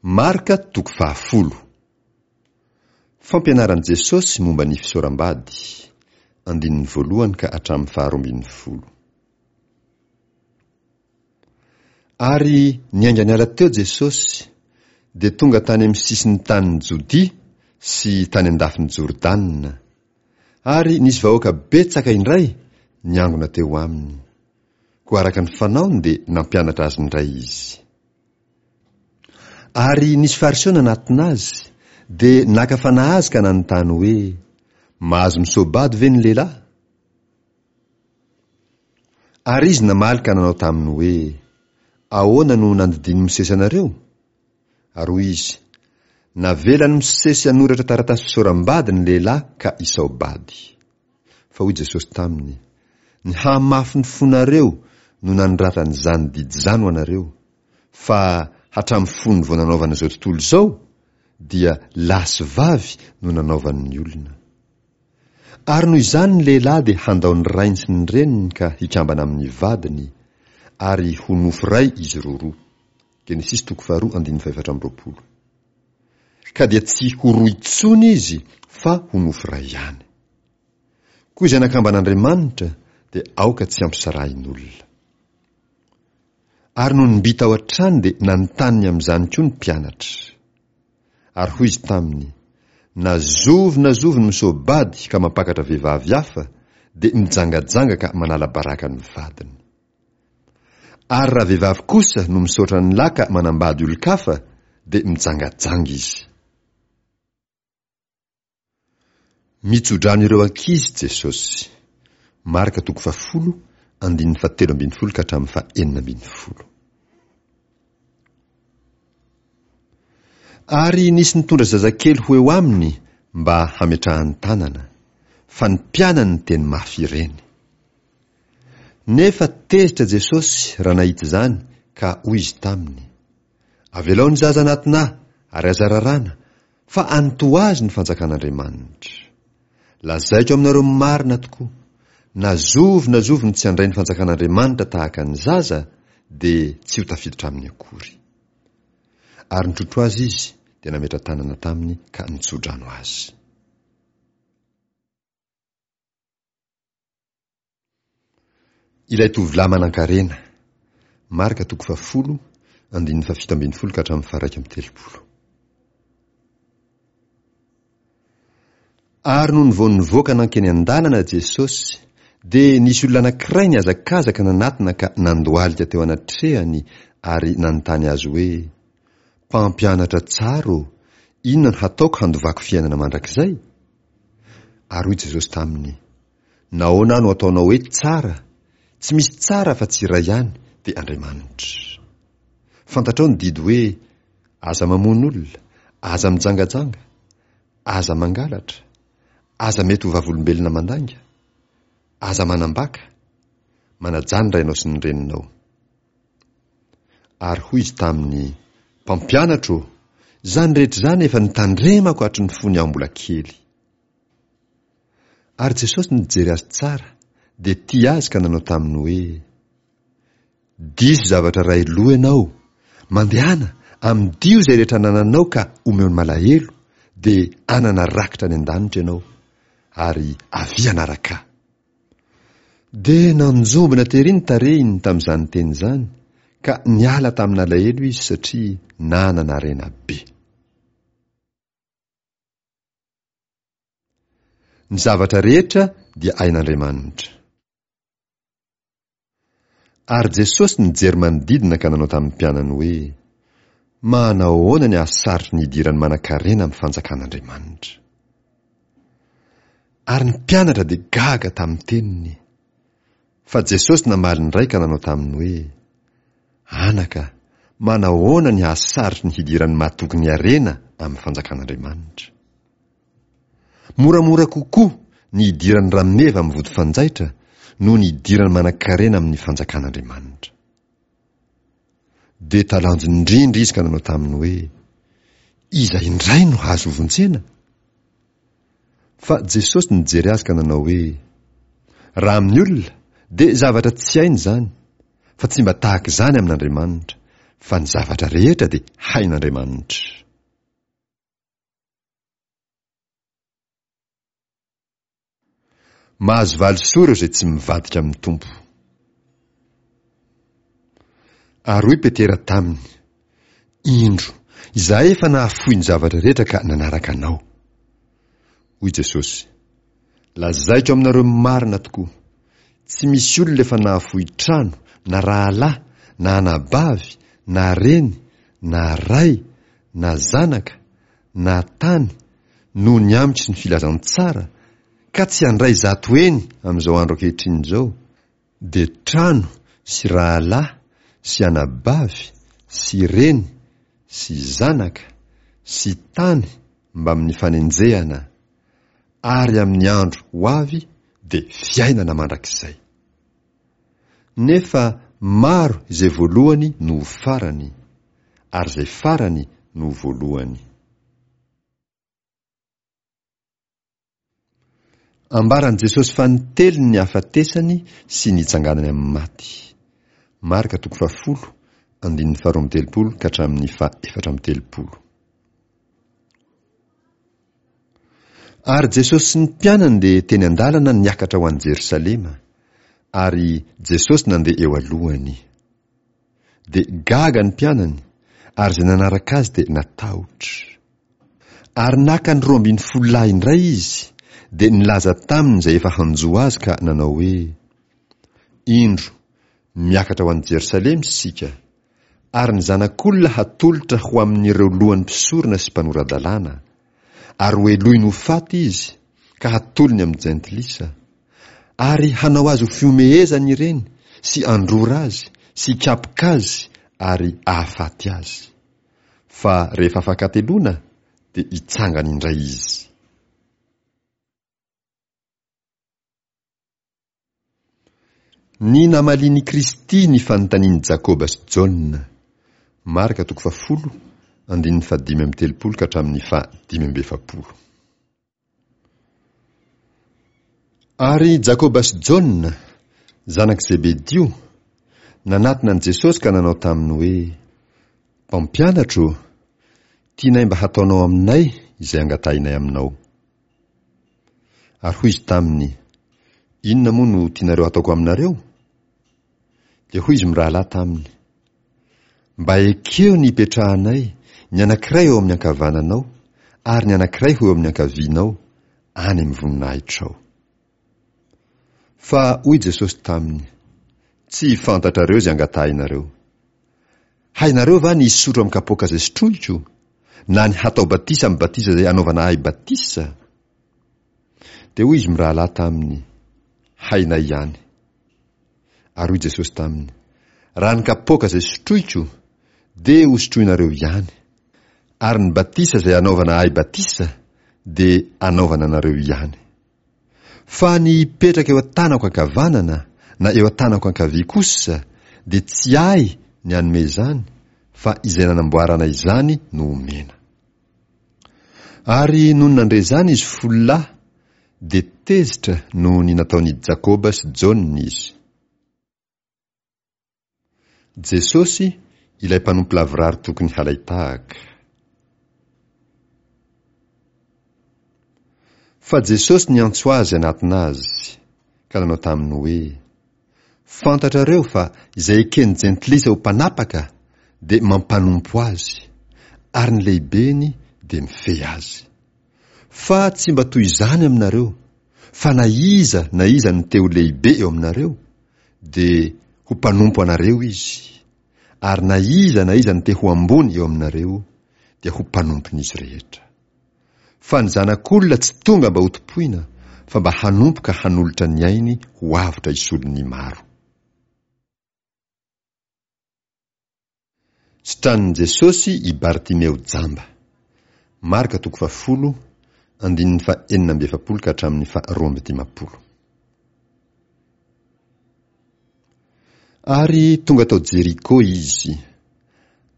Marka toko fahafolo. Fampianaran'i Jesosy momba ny fisaoram-bady, andininy voalohany ka hatramin'ny faharoa ambin'ny folo. Ary niainga niala teo Jesosy, dia tonga tany amin'ny sisin'ny tanin'i Jodia sy tany an-dafin'i Jordana. Ary nisy vahoaka betsaka indray niangona teo aminy. Koa araka ny fanaony dia nampianatra azy indray izy. Ary nisy Fariseo nanatona azy, dia naka fanahy azy ka nanontany hoe, Mahazo misoa-bady ve ny lehilahy? Ary izy namaly ka nanao taminy hoe, Ahoana no nandidian'i Mosesy anareo? Ary hoy izy, Navelan'i Mosesy hanoratra taratasy fisaoram-bady ny lehilahy ka hisao-bady. Fa hoy Jesosy taminy, Ny hahamafy ny fonareo no nanoratany izany didy izany ho anareo, fa hatramin'ny fony vao nanaovana izao tontolo izao, dia lahy sy vavy no nanaovany ny olona. Ary noho izany ny lehilahy dia handao ny rainy sy ny reniny ka hikambana amin'ny vadiny, ary ho nofo iray izy roroa. Genesisy toko faharoa andininy fahefatra amby roapolo. Ka dia tsy ho roa intsony izy fa ho nofo iray ihany. Koa izay nakamban'Andriamanitra dia aoka tsy hampisarahin'olona. Ary nony mby tao an-trano dia nanontany ny amin'izany koa ny mpianatra. Ary hoy izy taminy, Na zovy na zovy no misoa-bady ka mampakatra vehivavy hafa, dia mijangajanga ka manala baraka ny vadiny. Ary raha vehivavy kosa no misaotra ny lahy ka manambady olon-kafa dia mijangajanga izy. Mitsodrano ireo ankizy Jesosy. Marka toko fahafolo, andininy fahatelo ambin'ny folo ka hatramin'ny fahenina ambin'ny folo. Ary nisy nitondra zazakely ho eo aminy mba hametrahany tanana, fa ny mpianany niteny mafy ireny. Nefa tezitra Jesosy raha nahita izany ka hoy Izy taminy, Avelao ny zaza hanatona Ahy ary aza raràna, fa any toa azy ny fanjakan'Andriamanitra. Lazaiko aminareo marina tokoa, na zovy na zovy no tsy handray ny fanjakan'Andriamanitra tahaka ny zaza, dia tsy ho tafiditra aminy akory. Ary nitrotro azy Izy, dia nametra-tanana taminy ka nitso-drano azy. Ilay tovolahy manankarena. Marka toko fahafolo, andininy fahafito ambin'ny folo ka hatramin'ny faharaika amby telopolo. Ary nony vao nivoaka nankeny an-dalana Jesosy, dia nisy olona anankiray nihazakazaka nanatona ka nandohalika teo anatrehany ary nanontany azy hoe, Mpampianatra tsara ô, inona no hataoko handovako fiainana mandrakizay? Ary hoy Jesosy taminy, Nahoana aho no ataonao hoe tsara? Tsy misy tsara afa-tsy iray ihany, dia Andriamanitra. Fantatrao ny didy hoe, Aza mamono olona, aza mijangajanga, aza mangalatra, aza mety ho vavolombelona mandainga, aza manambaka, manajà ny rainao sy ny reninao. Ary hoy izy taminy, Mpampianatra ô, izany rehetra izany efa notandremako hatry ny fony aho mbola kely. Ary Jesosy nijery azy tsara, dia tia azy ka nanao taminy hoe, Diso zavatra iray loha ianao, mandehana, amidio izay rehetra anananao ka omeo ny malahelo, dia hanana rakitra any an-danitra ianao, ary avia hanaraka Ahy. Dia nanjombona tery ny tarehiny tamin'izany teny izany, ka niala tamin'alahelo izy satria nanana harena be. Ny zavatra rehetra dia hain'Andriamanitra. Ary Jesosy nijery manodidina ka nanao tamin'ny mpianany hoe, Manahoana ny hahasarotry ny hidiran'ny manankarena amin'ny fanjakan'Andriamanitra. Ary ny mpianatra dia gaga tamin'ny teniny. Fa Jesosy namaly indray ka nanao taminy hoe, Anaka, manahoana ny hahasarotry ny hidiran'ny mahatoky ny harena amin'ny fanjakan'Andriamanitra. Moramora kokoa ny hidiran'ny rameva amin'ny vody fanjaitra noho ny hidiran'ny manankarena amin'ny fanjakan'Andriamanitra. Dia talanjona indrindra izy ka nanao taminy hoe, Iza indray no hahazo hovonjena? Fa Jesosy nijery azy ka nanao hoe, Raha amin'ny olona, dia zavatra tsy hainy izany, fa tsy mba tahaka izany amin'Andriamanitra, Fa ny zavatra rehetra dia hain'Andriamanitra. Mahazo valisoa ireo izay tsy mivadika amin'ny Tompo. Ary hoy Petera taminy, Indro, izahay efa nahafoy ny zavatra rehetra ka nanaraka Anao. Hoy Jesosy, Lazaiko aminareo marina tokoa, tsy misy olona efa nahafoy trano, na rahalahy, na anabavy, na reny, na ray, na zanaka, na tany, noho ny amiko sy ny filazantsara, ka tsy handray 100 heny amin'izao andro ankehitriny izao, dia trano sy rahalahy sy anabavy sy reny sy zanaka sy tany mbamin'ny fanenjehana, ary amin'ny andro ho avy dia fiainana mandrakizay. Nefa maro izay voalohany no ho farany, ary izay farany no ho voalohany. Ambaran'i Jesosy fanintelony ny hahafatesany sy ny hitsanganany amin'ny maty. Marka toko fahafolo, andininy faharoa amby telopolo ka hatramin'ny faha-34. Ary Jesosy sy ny mpianany dia teny an-dalana niakatra ho any Jerosalema, ary Jesosy nandeha eo alohany. Dia gaga ny mpianany, ary izay nanaraka azy dia natahotra. Ary naka ny 12 lahy indray izy, dia nilaza taminy izay efa hanjo azy ka nanao hoe, Indro, miakatra ho any Jerosalema isika, ary ny Zanak'olona hatolotra ho amin'ireo lohan'ny mpisorona sy mpanora-dalàna, ary hohelohiny ho faty izy, ka hatolony amin'ny jentilisa, ary hanao azy ho fihomehezana ireny, sy handrora azy, sy hikapoka azy, ary hahafaty azy. Fa rehefa afakateloana, dia hitsangana indray izy. Ny namalian'i Kristy ny fanontanian'i Jakoba sy Jaona. Marka toko fahafolo, andininy fahadimy amby telopolo ka hatramin'ny fahadimy amby efapolo. Ary Jakoba sy Jaona, zanak'i Zebedio, nanatona an'i Jesosy ka nanao taminy hoe, Mpampianatra ô, tianay mba hataonao aminay izay angatahinay aminao. Ary hoy izy taminy, Inona moa no tianareo hataoko aminareo? Dia hoy izy mirahalahy taminy, Mba ekeo ny hipetrahanay, ny anankiray eo amin'ny ankavananao, ary ny anankiray ho eo amin'ny ankavianao, any amin'ny voninahitrao. Fa hoy Jesosy taminy, Tsy fantatrareo izay angatahinareo. Hainareo va ny hisotro amin'ny kapoaka izay sotroiko, na ny hatao batisa amin'ny batisa izay anaovana ahy batisa? Dia hoy izy mirahalahy taminy, Hainay ihany. Ary hoy Jesosy taminy, Raha ny kapoaka izay sotroiko, dia hosotroinareo ihany, ary ny batisa izay anaovana ahy batisa, dia anaovana anareo ihany. Fa ny hipetraka eo an-tanako ankavanana na eo an-tanako ankavia kosa dia tsy ahy ny hanome izany fa izay nanamboarana izany no omena. Ary nony nandre izany izy folo lahy dia tezitra noho ny nataon'i Jakoba sy Jaona izy. Jesosy, ilay mpanompo lavorary tokony halain-tahaka. Fa Jesosy niantso azy hanatona azy, ka nanao taminy hoe, Fantatrareo fa izay eken'ny jentilisa ho mpanapaka dia mampanompo azy, ary ny lehibeny dia mifehy azy. Fa tsy mba toy izany aminareo, fa na iza na iza no te ho lehibe eo aminareo, dia ho mpanompo anareo izy, ary na iza na iza no te ho ambony eo aminareo, dia ho mpanompon'izy rehetra. Fa ny Zanak'olona tsy tonga mba hotompoina, fa mba hanompo ka hanolotra ny ainy ho avotra hisolo ny maro. Sitranin'i Jesosy i Bartimeo jamba. Marka toko fahafolo, andininy faha-46 ka hatramin'ny faha-52. Ary tonga tao Jeriko izy.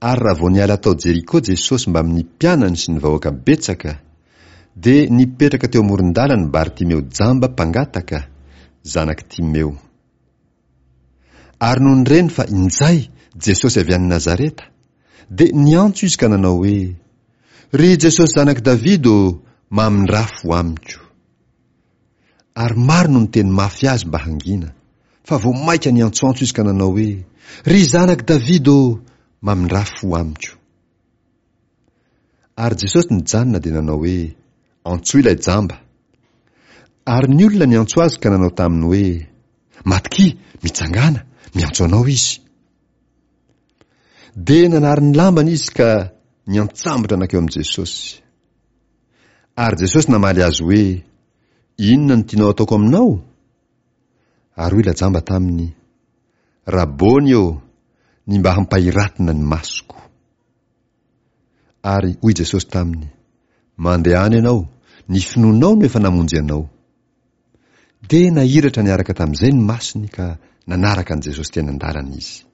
Ary raha vao niala tao Jeriko Jesosy mbamin'ny mpianany sy ny vahoaka betsaka, dia nipetraka teo amoron-dalana Bartimeo jamba mpangataka, zanak'i Timeo. Ary nony reny fa injay Jesosy avy any Nazareta, dia niantso izy ka nanao hoe, Ry Jesosy Zanak'i Davida ô, mamindrà fo amiko. Ary maro no niteny mafy azy mba hangina, fa vao mainka niantsoantso izy ka nanao hoe, Ry Zanak'i Davida ô, mamindrà fo amiko. Ary Jesosy nijanona dia nanao hoe, Antsoy ilay jamba. Ary ny olona niantso azy ka nanao taminy hoe, Matokia, mitsangàna, miantso anao izy. Dia nanary ny lambany izy ka niantsambotra nankeo amin'i Jesosy. Ary Jesosy namaly azy hoe, Inona no tianao ataoko aminao? Ary hoy ilay jamba taminy, Rabôny ô, ny mba hampahiratina ny masoko. Ary hoy Jesosy taminy, Mandehana ianao, ny finoanao no efa namonjy anao. Dia nahiratra niaraka tamin'izay ny masony ka nanaraka an'i Jesosy teny an-dalana izy.